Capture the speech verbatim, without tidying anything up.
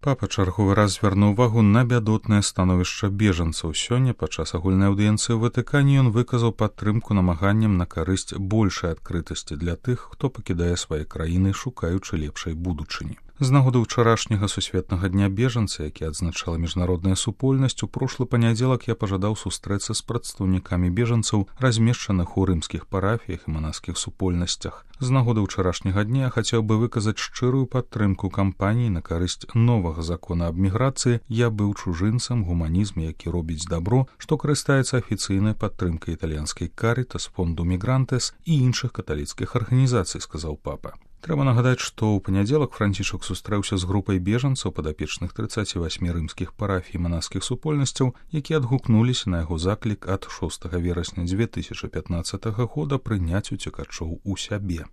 Папа чарговы раз звярнуў увагу на бядотнае становішча бежанцаў. Сёння падчас агульнай аўдыенцыі ў Ватыкане ён выказаў падтрымку намаганням на карысць большай адкрытасці для тых, хто пакідае свае краіны, шукаючы лепшай будучыні. З нагоды ўчарашняга сусветнага дня бежанца, які адзначала міжнародная супольнасць, у прошлы панядзелак я пажадаў сустрэцца з прадстаўнікамі бежанцаў, размешчаных у рымскіх парафіях і манаскіх супольнасцях. З нагоды ўчарашняга дня я хацеў бы выказаць шчырую падтрымку кампаніі на карысць новага закона аб міграцыі «Я быў чужынцам. Гуманізм, які робіць дабро», што карыстаецца афіцыйнай падтрымкай італьянскай «Карітас», фонду «Мігрантес» і іншых каталіцкіх арганізацый, сказаў папа. Трэба нагадаць, што ў панядзелак Францішак сустрэўся з групай бежанцаў, падапечных трыццаці васьмі рымскіх парафій і манаскіх супольнасцяў, якія адгукнуліся на яго заклік ад шостага верасня дзве тысячы пятнаццатага года прыняць уцекачоў у сябе.